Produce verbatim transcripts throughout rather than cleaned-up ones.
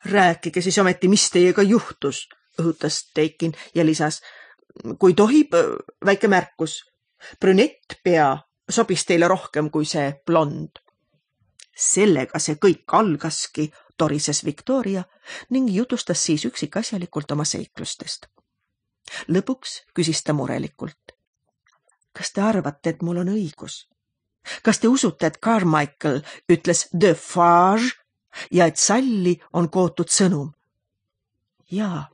Rääkige siis ometi, mis teiega juhtus, õhutas Teikin ja lisas. Kui tohib, väike märkus. Brünett pea sobis teile rohkem kui see blond. Sellega see kõik algaski, torises Victoria ning jutustas siis üksikasjalikult oma seiklustest. Lõpuks küsis ta murelikult. Kas te arvate, et mul on õigus? Kas te usute, et Carmichael ütles de Farge ja et salli on kootud sõnum? Jaa,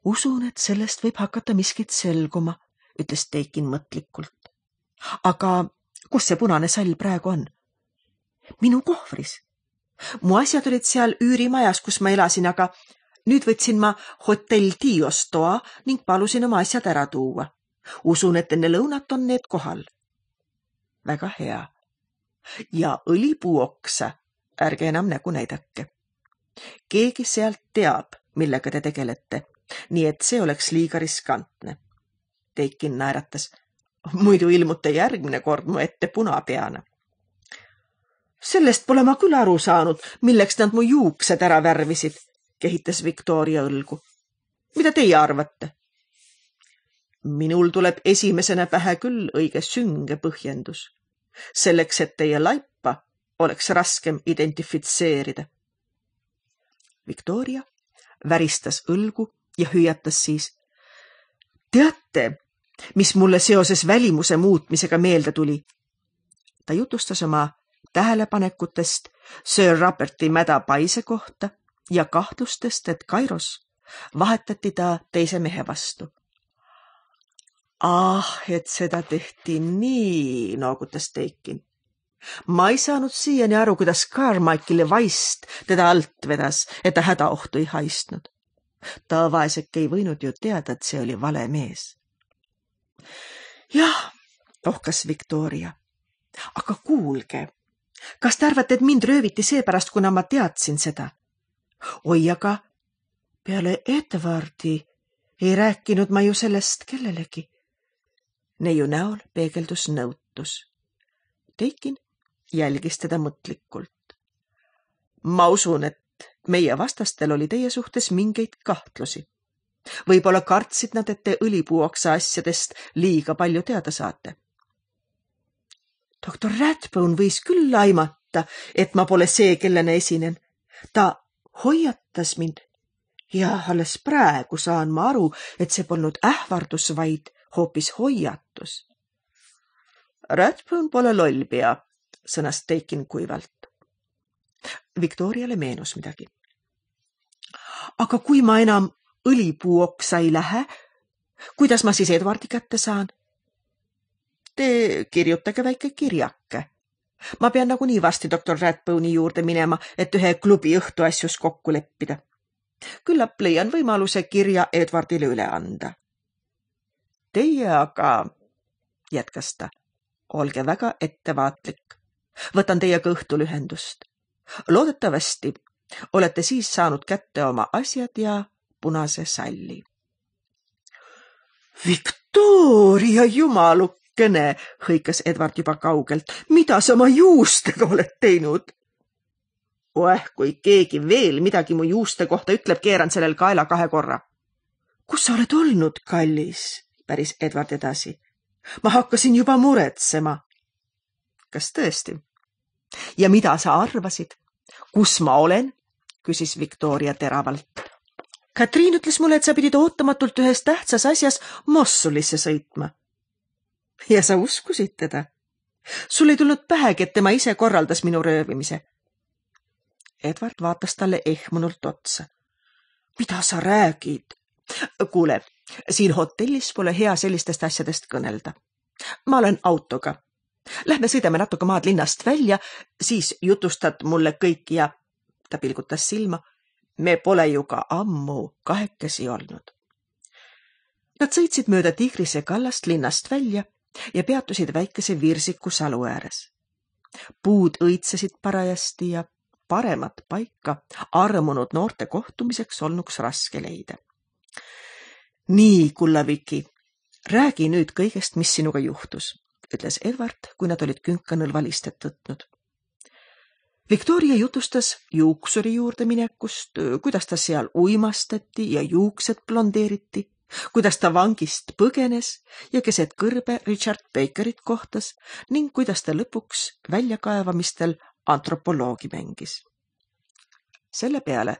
usun, et sellest võib hakata miskit selguma, ütles Teikin mõtlikult. Aga kus see punane sall praegu on? Minu kohvris. Mu asjad olid seal üürimajas, kus ma elasin, aga nüüd võtsin ma hotell Tios toa ning palusin oma asjad ära tuua. Usun, et enne lõunat on need kohal. Väga hea. Ja õlipuuoksa, ärge enam nägu näidake. Keegi sealt teab, millega te tegelete, nii et see oleks liiga riskantne. Teikin naeratas. Muidu ilmute järgmine kord mu ette punapeana. Sellest pole ma küll aru saanud, milleks nad mu juuksed ära värvisid, kehitas Victoria õlgu. Mida teie arvate? Minul tuleb esimesena pähe küll õige sünge põhjendus. Selleks, et teie laipa oleks raskem identifitseerida. Victoria väristas õlgu ja hüüatas siis. Teate, mis mulle seoses välimuse muutmisega meelde tuli? Ta jutustas oma tähelepanekutest Sir Roberti mäda paise kohta ja kahtlustest, et Kairos vahetati ta teise mehe vastu. Ah, et seda tehti nii, noogutas Teikin. Ma ei saanud siiani aru, kuidas Carmichaeli vaist teda alt vedas, et ta hädaohtu ei haistnud. Ta vaeseke ei võinud ju teada, et see oli vale mees. Jah, ohkas Victoria. Aga kuulge, kas te arvate, et mind rööviti seepärast, kuna ma teadsin seda? Oi, aga peale Edwardi ei rääkinud ma ju sellest kellelegi. Neiu näol peegeldus nõutus. Teikin jälgis teda mõtlikult. Ma usun, et meie vastastel oli teie suhtes mingeid kahtlusi. Võib-olla kartsid nad, et te õlipuuoksa asjadest liiga palju teada saate. Doktor Rathbone võis küll aimata, et ma pole see, kellena esinen. Ta hoiatas mind ja alles praegu saan ma aru, et see polnud ähvardus, vaid hoopis hoiatus. Rathbone pole lollpea, sõnas Teikin kuivalt. Victoriale meenus midagi. Aga kui ma enam õlipuuoksa ei lähe, kuidas ma siis Edwardi kätte saan? Te kirjutage väike kirjake. Ma pean nagunii varsti doktor Rathbone'i juurde minema, et ühe klubi õhtuasjus kokku leppida. Küllap leian võimaluse kirja Edwardile üle anda. Teie aga, jätkas ta, olge väga ettevaatlik. Võtan teiega õhtul ühendust. Loodetavasti olete siis saanud kätte oma asjad ja punase salli. Victoria, jumalukene, hõikas Edward juba kaugelt. Mida sa oma juustega oled teinud? Oeh, kui keegi veel midagi mu juuste kohta ütleb, keeran sellel kaela kahe korra. Kus sa oled olnud, kallis? Päris Edward edasi. Ma hakkasin juba muretsema. Kas tõesti? Ja mida sa arvasid? Kus ma olen? Küsis Victoria teravalt. Katriin ütles mulle, et sa pidid ootamatult ühes tähtsas asjas Mossulisse sõitma. Ja sa uskusid teda? Sul ei tulnud pähegi, et tema ise korraldas minu röövimise. Edward vaatas talle ehmunult otsa. Mida sa räägid? Kuule, siin hotellis pole hea sellistest asjadest kõnelda. Ma olen autoga. Lähme sõidame natuke maad linnast välja, siis jutustad mulle kõik ja ta pilgutas silma. Me pole ju ka ammu kahekesi olnud. Nad sõitsid mööda Tigrise kallast linnast välja ja peatusid väikese Virsiku salu ääres. Puud õitsesid parajasti ja paremat paika armunud noorte kohtumiseks olnuks raske leida. Nii, kullaviki, räägi nüüd kõigest, mis sinuga juhtus, ütles Edward, kui nad olid künkanõlva listet võtnud. Victoria jutustas juuksuri juurde minekust, kuidas ta seal uimastati ja juuksed blondeeriti, kuidas ta vangist põgenes ja keset kõrbe Richard Bakerit kohtas ning kuidas ta lõpuks väljakaevamistel antropoloogi mängis. Selle peale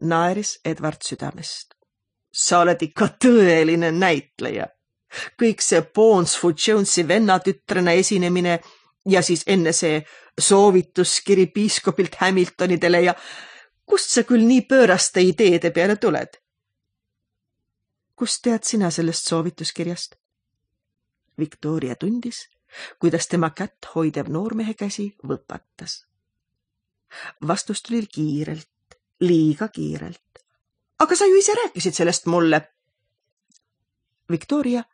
naeris Edward südamest. Sa oled ikka tõeline näitleja. Kõik see Bonesfoot Jonesi vennatütrena esinemine ja siis enne see soovituskiri piiskopilt Hamiltonidele ja kust sa küll nii pööraste ideede peale tuled? Kust tead sina sellest soovituskirjast? Victoria tundis, kuidas tema kätt hoidev noormehe käsi võpatas. Vastus tuli kiirelt, liiga kiirelt. Aga sa ju ise rääkisid sellest mulle. Victoria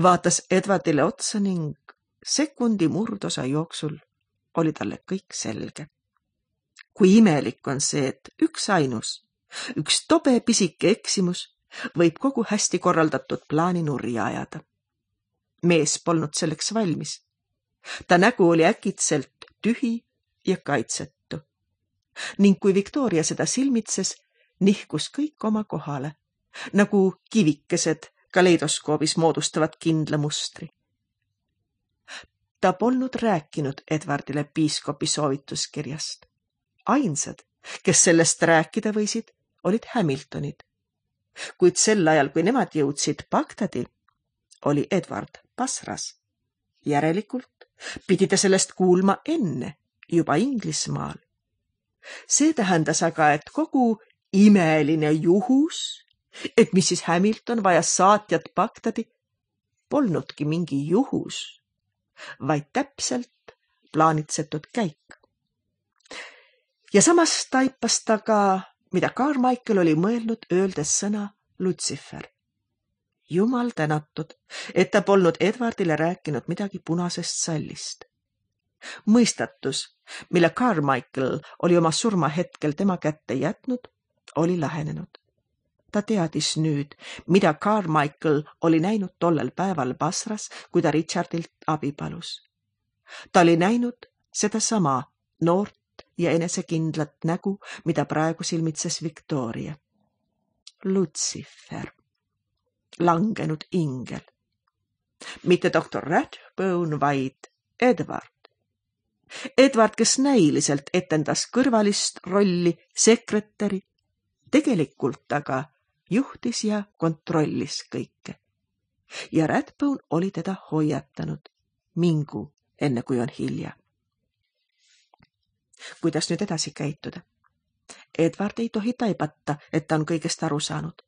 vaatas Edwardile otsa ning sekundi murdosa jooksul oli talle kõik selge. Kui imelik on see, et üks ainus, üks tobe pisike eksimus võib kogu hästi korraldatud plaani nurja ajada. Mees polnud selleks valmis. Ta nägu oli äkitselt tühi ja kaitsetu. Ning kui Victoria seda silmitses, nihkus kõik oma kohale, nagu kivikesed kaleidoskoobis moodustavad kindla mustri. Ta polnud rääkinud Edwardile piiskopi soovituskirjast. Ainsad, kes sellest rääkida võisid, olid Hamiltonid. Kuid sel ajal, kui nemad jõudsid Bagdadi, oli Edward Basras. Järelikult pidi ta sellest kuulma enne, juba Inglismaal. See tähendas aga, et kogu imeline juhus, et missis Hamilton vajas saatjat Bagdadi, polnudki mingi juhus, vaid täpselt plaanitsetud käik. Ja samas taipas ta ka, mida Carmichael oli mõelnud öeldes sõna Lucifer. Jumal tänatud, et ta polnud Edwardile rääkinud midagi punasest sallist. Mõistatus, mille Carmichael oli oma surma hetkel tema kätte jätnud, oli lahenenud. Ta teadis nüüd, mida Carmichael oli näinud tollel päeval Basras, kui ta Richardilt abi palus. Ta oli näinud seda sama noort ja enesekindlat nägu, mida praegu silmitses Victoria. Lucifer. Langenud ingel. Mitte doktor Rathbone, vaid Edward. Edward, kes näiliselt etendas kõrvalist rolli sekretäri, tegelikult aga juhtis ja kontrollis kõike. Ja Rathbone oli teda hoiatanud. Mingu, enne kui on hilja. Kuidas nüüd edasi käituda? Edward ei tohi taibata, et ta on kõigest aru saanud.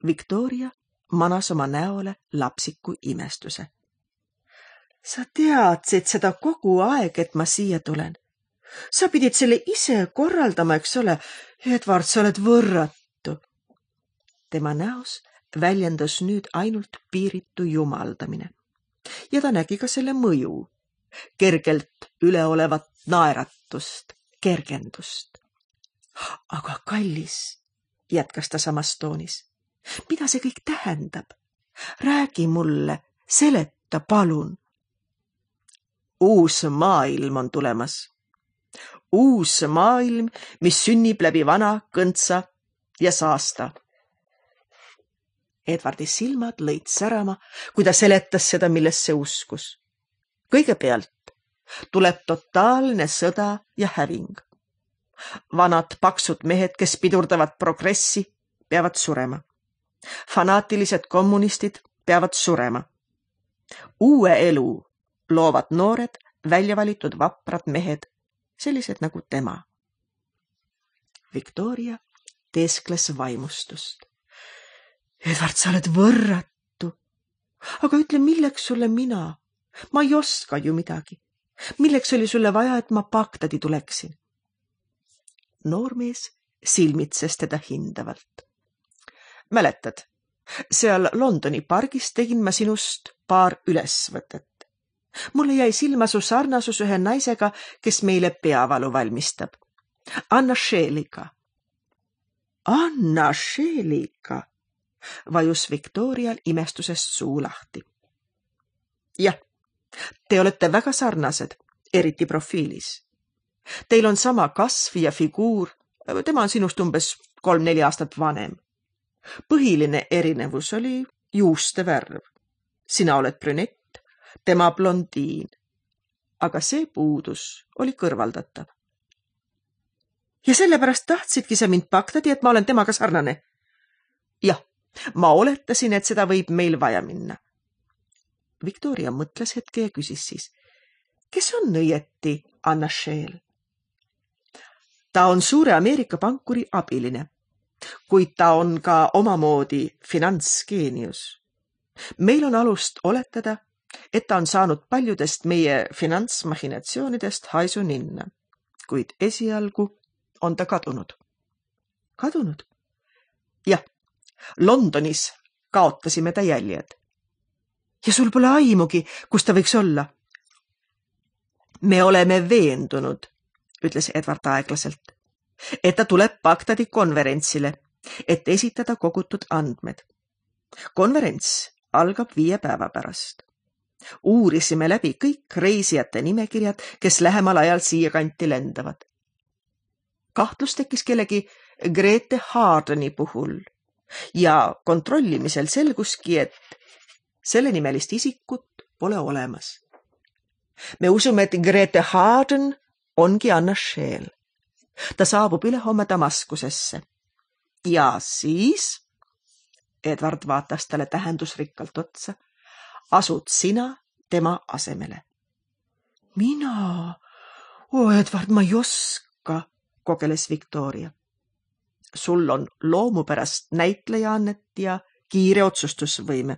Victoria manas oma näole lapsiku imestuse. Sa teadsid seda kogu aeg, et ma siia tulen. Sa pidid selle ise korraldama, eks ole. Edward, sa oled võrratu. Tema näos väljendas nüüd ainult piiritu jumaldamine. Ja ta nägi ka selle mõju. Kergelt üleolevat naeratust, kergendust. Aga kallis, jätkas ta samas toonis. Mida see kõik tähendab? Räägi mulle, seleta palun. Uus maailm on tulemas. Uus maailm, mis sünnib läbi vana, kõntsa ja saasta. Edwardi silmad lõid särama, kui ta seletas seda, millesse uskus. Kõigepealt tuleb totaalne sõda ja häving. Vanad paksud mehed, kes pidurdavad progressi, peavad surema. Fanaatilised kommunistid peavad surema. Uue elu loovad noored, väljavalitud vaprad mehed, sellised nagu tema. Victoria teeskles vaimustust. Edward, sa oled võrratu. Aga ütle, milleks sulle mina? Ma ei oska ju midagi. Milleks oli sulle vaja, et ma Bagdadi tuleksin? Noormees silmitses teda hindavalt. Mäletad, seal Londoni pargis tegin ma sinust paar ülesvõtet. Mulle jäi silma su sarnasus ühe naisega, kes meile peavalu valmistab. Anna Shelley'ga. Anna Shelley'ga, vajus Victorial imestusest suu lahti. Jah, te olete väga sarnased, eriti profiilis. Teil on sama kasv ja figuur, tema on sinust umbes kolm-neli aastat vanem. Põhiline erinevus oli juuste värv. Sina oled brünett, tema blondiin. Aga see puudus oli kõrvaldatav. Ja sellepärast tahtsidki sa mind Bagdadi, et ma olen temaga sarnane. Jah, ma oletasin, et seda võib meil vaja minna. Victoria mõtles hetke ja küsis siis, kes on õieti Anna Scheel? Ta on suure Ameerika pankuri abiline, kuid ta on ka omamoodi finantsgeenius. Meil on alust oletada, et ta on saanud paljudest meie finantsmachinatsioonidest haisu ninna, kuid esialgu on ta kadunud. Kadunud? Jah, Londonis kaotasime ta jäljed. Ja sul pole aimugi, kus ta võiks olla? Me oleme veendunud, ütles Edward aeglaselt, et ta tuleb Bagdadi konverentsile, et esitada kogutud andmed. Konverents algab viie päeva pärast. Uurisime läbi kõik reisijate nimekirjad, kes lähemal ajal siia kanti lendavad. Kahtlus tekkis kellegi Grete Hardeni puhul ja kontrollimisel selguski, et selle nimelist isikut pole olemas. Me usume, et Grete Harden ongi Anna Scheel. Ta saabub ülehomme Damaskusesse. Ja siis, Edward vaatas talle tähendusrikkalt otsa, asud sina tema asemele. Mina? O Edward, ma ei oska, kogeles Victoria. Sul on loomupärast näitlejaannet ja kiire otsustusvõime.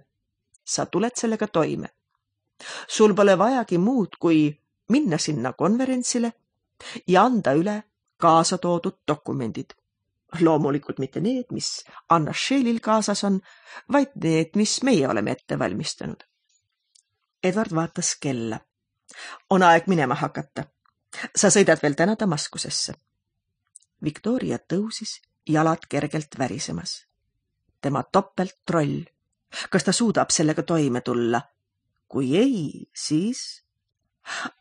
Sa tuled sellega toime. Sul pole vajagi muud, kui minna sinna konverentsile ja anda üle kaasa toodud dokumendid. Loomulikult mitte need, mis Anna Scheelil kaasas on, vaid need, mis meie oleme ette valmistanud. Edward vaatas kella. On aeg minema hakata. Sa sõidad veel täna Damaskusesse. Victoria tõusis, jalad kergelt värisemas. Tema topelt troll. Kas ta suudab sellega toime tulla? Kui ei, siis...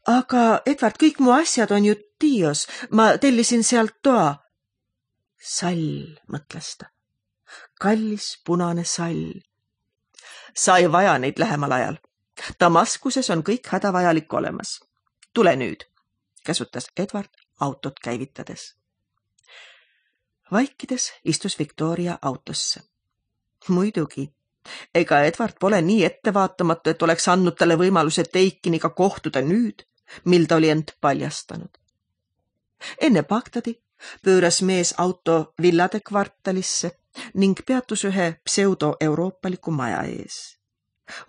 Aga, Edward, kõik mu asjad on ju Tios. Ma tellisin sealt toa. Sall, mõtles ta. Kallis punane sall. Sa ei vaja neid lähemal ajal. Damaskuses on kõik hädavajalik olemas. Tule nüüd, käsutas Edward autot käivitades. Vaikides istus Victoria autosse. Muidugi, ega Edward pole nii ettevaatamatu, et oleks andnud talle võimaluse Teikiniga kohtuda nüüd, mil ta oli end paljastanud. Enne Bagdadi pööras mees auto villade kvartalisse ning peatus ühe pseudo-euroopaliku maja ees.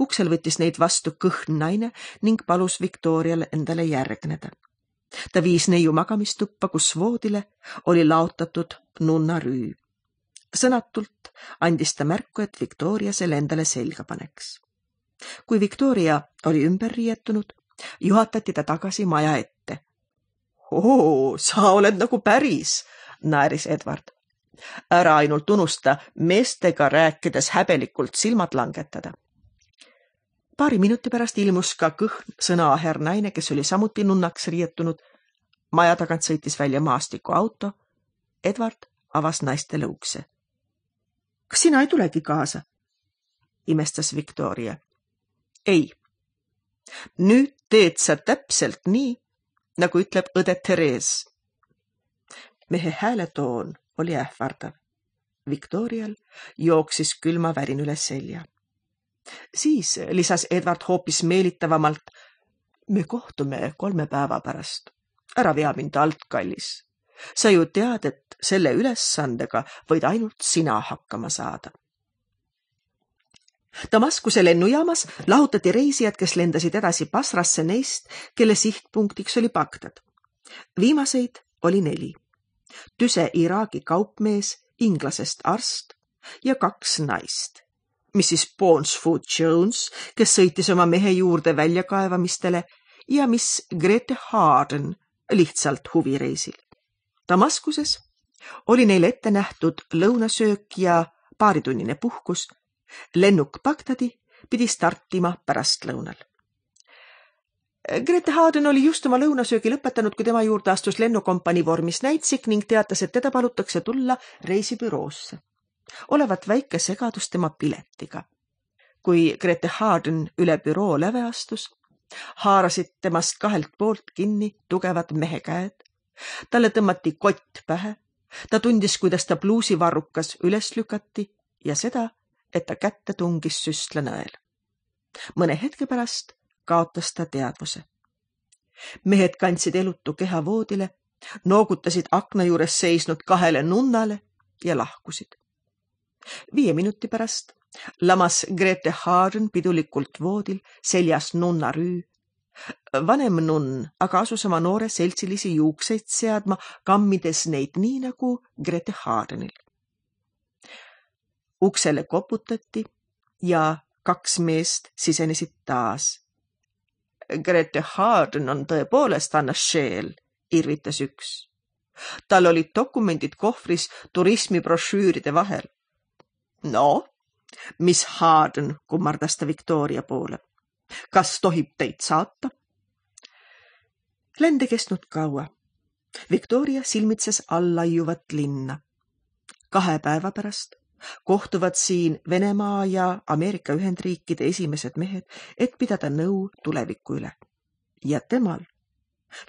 Uksel võttis neid vastu kõhn naine ning palus Victorial endale järgneda. Ta viis neiu magamistuppa, kus voodile oli laotatud nunna rüü. Sõnatult andis ta märku, et Victoria selle endale selga paneks. Kui Victoria oli ümber riietunud, juhatati ta tagasi maja ette. Oo, sa oled nagu päris, naeris Edward. Ära ainult unusta meestega rääkides häbelikult silmad langetada. Paari minuti pärast ilmus ka kõhn sõnaaher naine, kes oli samuti nunnaks riietunud. Maja tagant sõitis välja maastiku auto. Edward avas naistele ukse. Kas sina ei tulegi kaasa? Imestas Victoria. Ei. Nüüd teed sa täpselt nii, nagu ütleb õde Therese. Mehe hääletoon oli ähvardav. Victorial jooksis külma värin üle selja. Siis lisas Edward hoopis meelitavamalt. Me kohtume kolme päeva pärast. Ära vea mind alt, kallis. Sa ju tead, et selle ülesandega võid ainult sina hakkama saada. Damaskuse lennujaamas lahutati reisijad, kes lendasid edasi Basrasse neist, kelle sihtpunktiks oli Bagdad. Viimaseid oli neli. Tüse Iraagi kaupmees, inglasest arst ja kaks naist. missis Bonesfoot Jones, kes sõitis oma mehe juurde väljakaevamistele ja miss Grete Harden lihtsalt huvireisil. Damaskuses oli neil ette nähtud lõunasöök ja paaritunnine puhkus. Lennuk Bagdadi pidi startima pärastlõunal. Grete Harden oli just oma lõunasöögi lõpetanud, kui tema juurde astus lennukompanii vormis näitsik ning teatas, et teda palutakse tulla reisibüroosse. Olevat väike segadus tema piletiga. Kui Grete Harden üle büroo läve astus, haarasid temast kahelt poolt kinni tugevad mehe käed. Talle tõmmati kott pähe. Ta tundis, kuidas ta pluusivarrukas üles lükati ja seda, et ta kätte tungis süstlenõel. Mõne hetke pärast kaotas ta teadvuse. Mehed kandsid elutu keha voodile, noogutasid akna juures seisnud kahele nunnale ja lahkusid. Viie minuti pärast lamas Grete Harden pidulikult voodil seljas nunna rüü. Vanem nunn aga asus oma noore seltsilisi juukseid seadma, kammides neid nii nagu Grete Hardenil. Uksele koputati ja kaks meest sisenesid taas. Grete Harden on tõepoolest Anna Scheel, irvitas üks. Tal olid dokumendid kohvris turismibrošüüride vahel. No, mis Harden, kummardas ta Victoria poole. Kas tohib teid saata? Lende kestnud kaua. Victoria silmitses allaiuvat linna. Kahe päeva pärast kohtuvad siin Venemaa ja Ameerika Ühendriikide esimesed mehed, et pidada nõu tuleviku üle. Ja temal,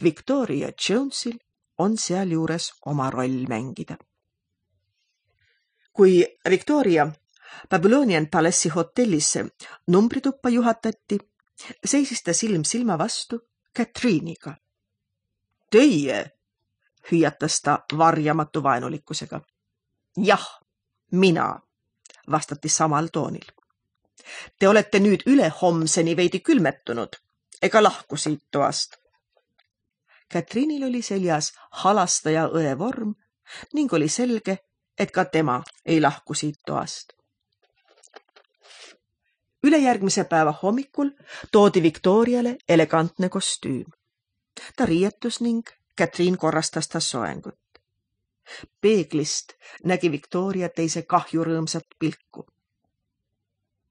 Victoria Jonesil, on seal juures oma roll mängida. Kui Victoria Babylonian Palace'i hotellisse numbrituppa juhatati, seisis ta silm silma vastu Katriiniga. Teie, hüüatas ta varjamatu vaenulikkusega. Jah, mina, vastati samal toonil. Te olete nüüd üle homseni veidi külmetunud, ega lahku siit toast. Katriinil oli seljas halastaja õe vorm ning oli selge, et ka tema ei lahku siit toast. Ülejärgmise päeva hommikul toodi Victoriale elegantne kostüüm. Ta riietus ning Katriin korrastas ta soengut. Peeglist nägi Victoria teise kahjurõõmsat pilku.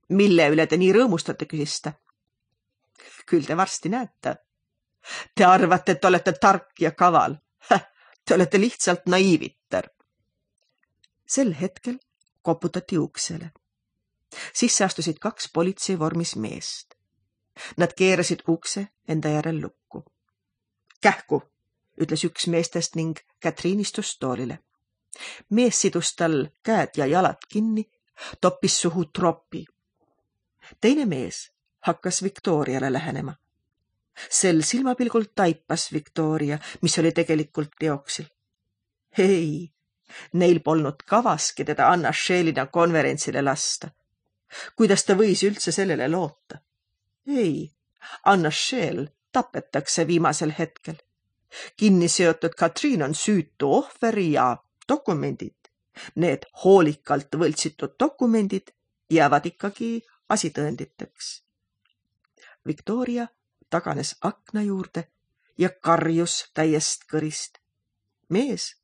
Mille üle te nii rõõmustate, küsis ta? Küll te varsti näete. Te arvate, et olete tark ja kaval. Te olete lihtsalt naiivitter. Sel hetkel koputati uksele. Sisse astusid kaks politseivormis meest. Nad keerasid ukse enda järel lukku. Kähku, ütles üks meestest ning Katriin istus toolile. Mees sidus tal käed ja jalad kinni, toppis suhu tropi. Teine mees hakkas Victoriale lähenema. Sel silmapilgul taipas Victoria, mis oli tegelikult teoksil. Ei, neil polnud kavaski teda Anna Scheelina konverentsile lasta. Kuidas ta võis üldse sellele loota? Ei, Anna Scheel tapetakse viimasel hetkel. Kinni seotud Katriin on süütu ohveri ja dokumendid. Need hoolikalt võltsitud dokumendid jäävad ikkagi asitõenditeks. Victoria taganes akna juurde ja karjus täiest kõrist. Mees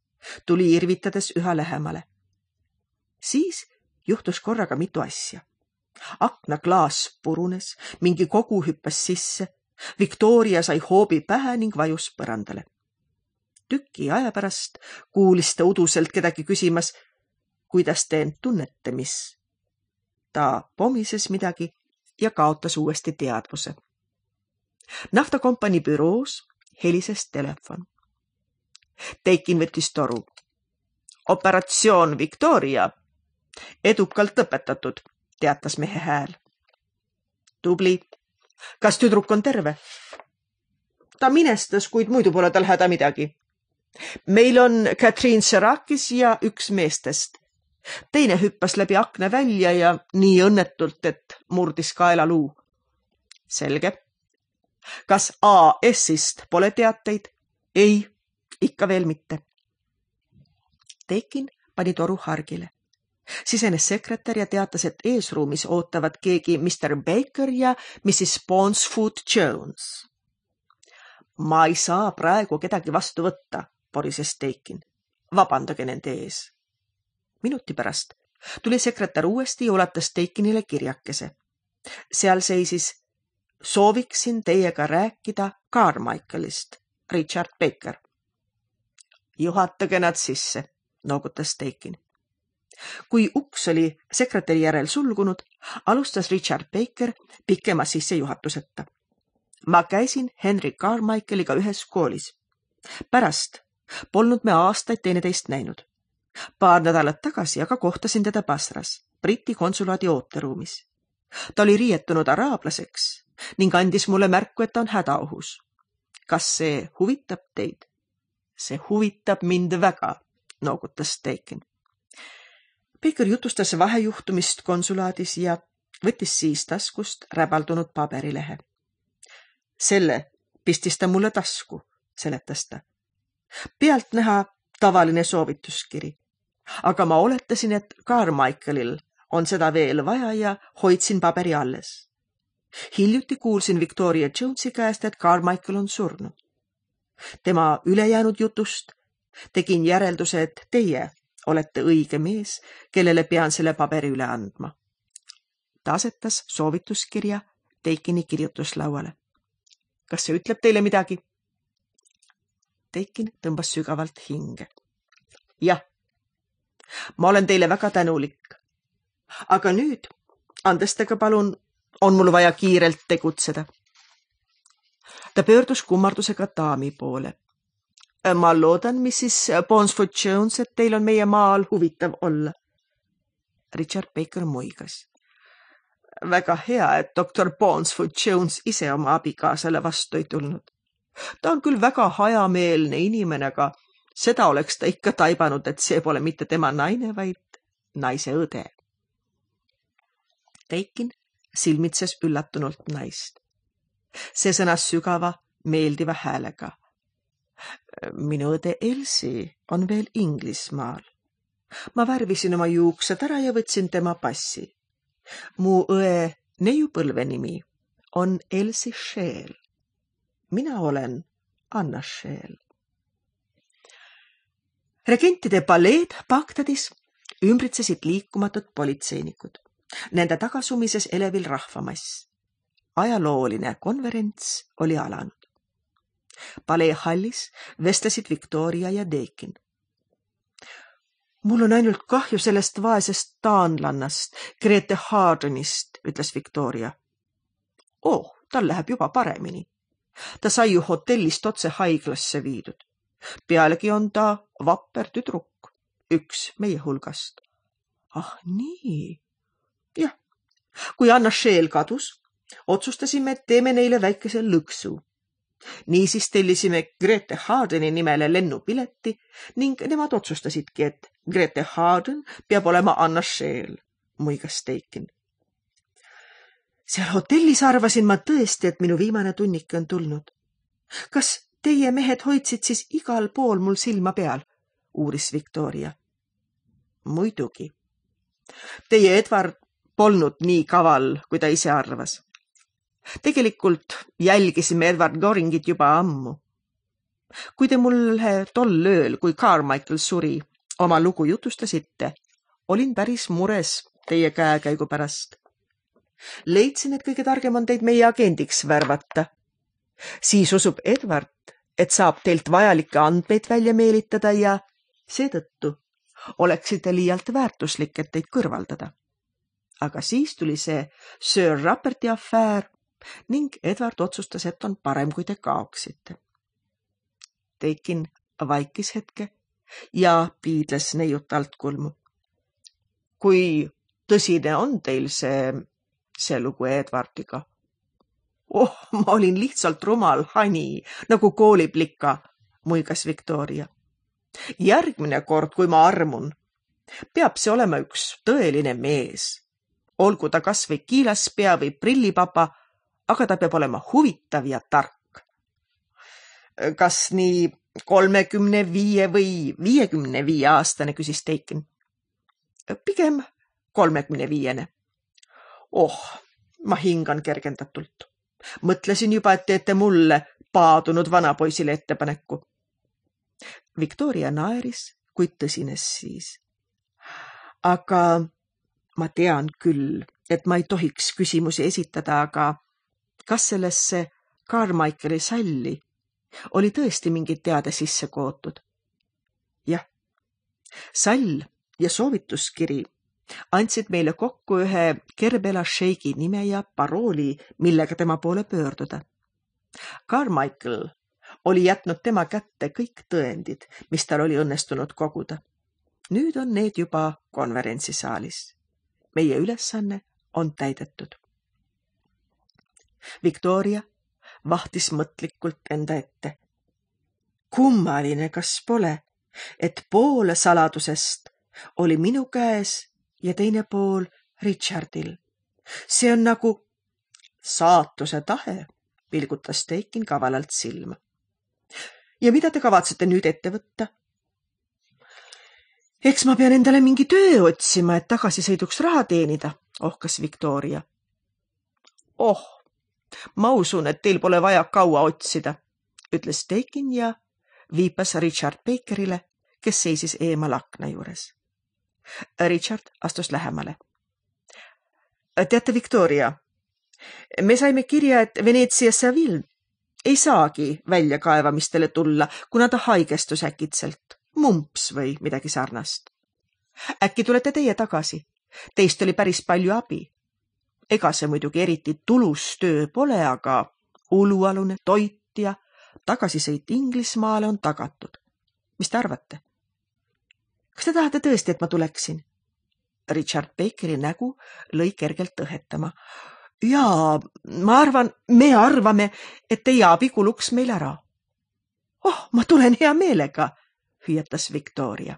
tuli irvitades üha lähemale. Siis juhtus korraga mitu asja. Akna klaas purunes, mingi kogu hüppas sisse. Victoria sai hoobi pähe ning vajus põrandale. Tüki aja pärast kuulis ta uduselt kedagi küsimas, kuidas te end tunnete, mis? Ta pomises midagi ja kaotas uuesti teadvuse. Naftakompanii büroos helises telefon. Teikin võttis toru. Operatsioon Victoria. Edukalt õpetatud, teatas mehe hääl. Tubli. Kas tüdruk on terve? Ta minestas, kuid muidu pole tal häda midagi. Meil on Katriin Serakis ja üks meestest. Teine hüppas läbi akna välja ja nii õnnetult, et murdis kaelaluu. Selge. Kas A S-ist pole teateid? Ei, ikka veel mitte. Teikin pani toru hargile. Sisenes sekretär ja teatas, et eesruumis ootavad keegi mister Baker ja missis Ponsfoot Jones. Ma ei saa praegu kedagi vastu võtta, porises Teikin. Vabandage nende ees. Minuti pärast tuli sekretär uuesti ja ulatas Teikinile kirjakese. Seal seisis sooviksin teiega rääkida Carmichaelist, Richard Baker. Juhatage nad sisse, noogutas Teikin. Kui uks oli sekretäri järel sulgunud, alustas Richard Baker pikema sissejuhatuseta. Ma käisin Henry Carmichaeliga ühes koolis. Pärast polnud me aastaid teineteist näinud. Paar nädalat tagasi aga kohtasin teda Basras, Briti konsulaadi ooteruumis. Ta oli riietunud araablaseks ning andis mulle märku, et ta on hädaohus. Kas see huvitab teid? See huvitab mind väga, noogutas Teikin. Baker jutustas vahejuhtumist konsulaadis ja võttis siis taskust räbaldunud paberilehe. Selle pistis ta mulle tasku, seletas ta. Pealt näha tavaline soovituskiri. Aga ma oletasin, et Carmichaelil on seda veel vaja ja hoidsin paberi alles. Hiljuti kuulsin Victoria Jonesi käest, et Carmichael on surnud. Tema ülejäänud jutust tegin järelduse, et teie olete õige mees, kellele pean selle paberi üle andma. Ta asetas soovituskirja Teikini kirjutuslauale. Kas see ütleb teile midagi? Teikin tõmbas sügavalt hinge. Jah, ma olen teile väga tänulik. Aga nüüd, andestage palun, on mul vaja kiirelt tegutseda. Ta pöördus kummardusega daami poole. Ma loodan, missis Ponsford-Jones, et teil on meie maal huvitav olla. Richard Baker muigas. Väga hea, et doktor Ponsford-Jones ise oma abikaasale vastu ei tulnud. Ta on küll väga hajameelne inimene, aga seda oleks ta ikka taibanud, et see pole mitte tema naine, vaid naise õde. Teikin silmitses üllatunult naist. See sõnas sügava, meeldiva häälega. Minu õde Elsi on veel Inglismaal. Ma värvisin oma juuksed ära ja võtsin tema passi. Mu õe neiupõlve nimi on Elsi Shale. Mina olen Anna Shale. Regentide paleed Bagdadis ümbritsesid liikumatud politseinikud. Nende tagasumises elevil rahvamass. Ajalooline konverents oli alanud. Palee hallis vestlesid Victoria ja Teikin. Mul on ainult kahju sellest vaesest taanlannast, Grete Hardenist, ütles Victoria. Oh, tal läheb juba paremini. Ta sai ju hotellist otse haiglasse viidud. Pealegi on ta vapper tüdruk, üks meie hulgast. Ah nii. Jah, kui Anna Shale kadus, otsustasime, et teeme neile väikese lõksu. Niisiis tellisime Grete Hardeni nimele lennupileti ning nemad otsustasidki, et Grete Harden peab olema Anna Shale, muigas Teikin. Seal hotellis arvasin ma tõesti, et minu viimane tunnike on tulnud. Kas teie mehed hoidsid siis igal pool mul silma peal, uuris Victoria. Muidugi. Teie Edward polnud nii kaval, kui ta ise arvas. Tegelikult jälgisime Edward Goringit juba ammu. Kui te mulle tol ööl, kui Carmichael suri, oma lugu jutustasite, olin päris mures teie käekäigu pärast. Leidsin, et kõige targem on teid meie agendiks värvata. Siis usub Edward, et saab teilt vajalikke andmeid välja meelitada ja seetõttu oleksite liialt väärtuslik, et teid kõrvaldada. Aga siis tuli see Sir Ruperti afäär ning Edward otsustas, et on parem, kui te kaoksite. Teikin vaikis hetke ja piidles neiut altkulmu. Kui tõsine on teil see, see lugu Edwardiga? Oh, ma olin lihtsalt rumal hani, nagu kooliplika, muigas Victoria. Järgmine kord, kui ma armun, peab see olema üks tõeline mees. Olgu ta kas või kiilaspea või prillipapa, aga ta peab olema huvitav ja tark. Kas nii kolmekümne viie või viiekümne viie aastane, küsis Teikin. Pigem kolmekümne viiene. Oh, ma hingan kergendatult. Mõtlesin juba, et teete mulle paadunud vanapoisile ettepaneku. Victoria naeris, kuid tõsines siis. Aga ma tean küll, et ma ei tohiks küsimusi esitada, aga kas sellesse Carmichaeli salli oli tõesti mingid teade sisse kootud? Jah, sall ja soovituskiri andsid meile kokku ühe Kerbela šeigi nime ja parooli, millega tema poole pöörduda. Carmichael oli jätnud tema kätte kõik tõendid, mis tal oli õnnestunud koguda. Nüüd on need juba konverentsisaalis. Meie ülesanne on täidetud. Victoria vahtis mõtlikult enda ette. Kummaline, kas pole, et pool saladusest oli minu käes ja teine pool Richardil. See on nagu saatuse tahe, pilgutas Teikin kavalalt silma. Ja mida te kavatsete nüüd ette võtta? Eks ma pean endale mingi töö otsima, et tagasisõiduks raha teenida, ohkas Victoria. Oh, ma usun, et teil pole vaja kaua otsida, ütles Teikin ja viipas Richard Bakerile, kes seisis eemal akna juures. Richard astus lähemale. Teate, Victoria, me saime kirja, et Veneetsia Saville ei saagi väljakaevamistele tulla, kuna ta haigestus äkitselt, mumps või midagi sarnast. Äkki tulete teie tagasi? Teist oli päris palju abi. Ega see muidugi eriti tulus töö pole, aga ulualune toit ja tagasisõit Inglismaale on tagatud. Mis te arvate? Kas te tahate tõesti, et ma tuleksin? Richard Bakeri nägu lõi kergelt õhetama. Jaa, ma arvan, me arvame, et teie abi kuluks meil ära. Oh, ma tulen hea meelega, hüüatas Victoria.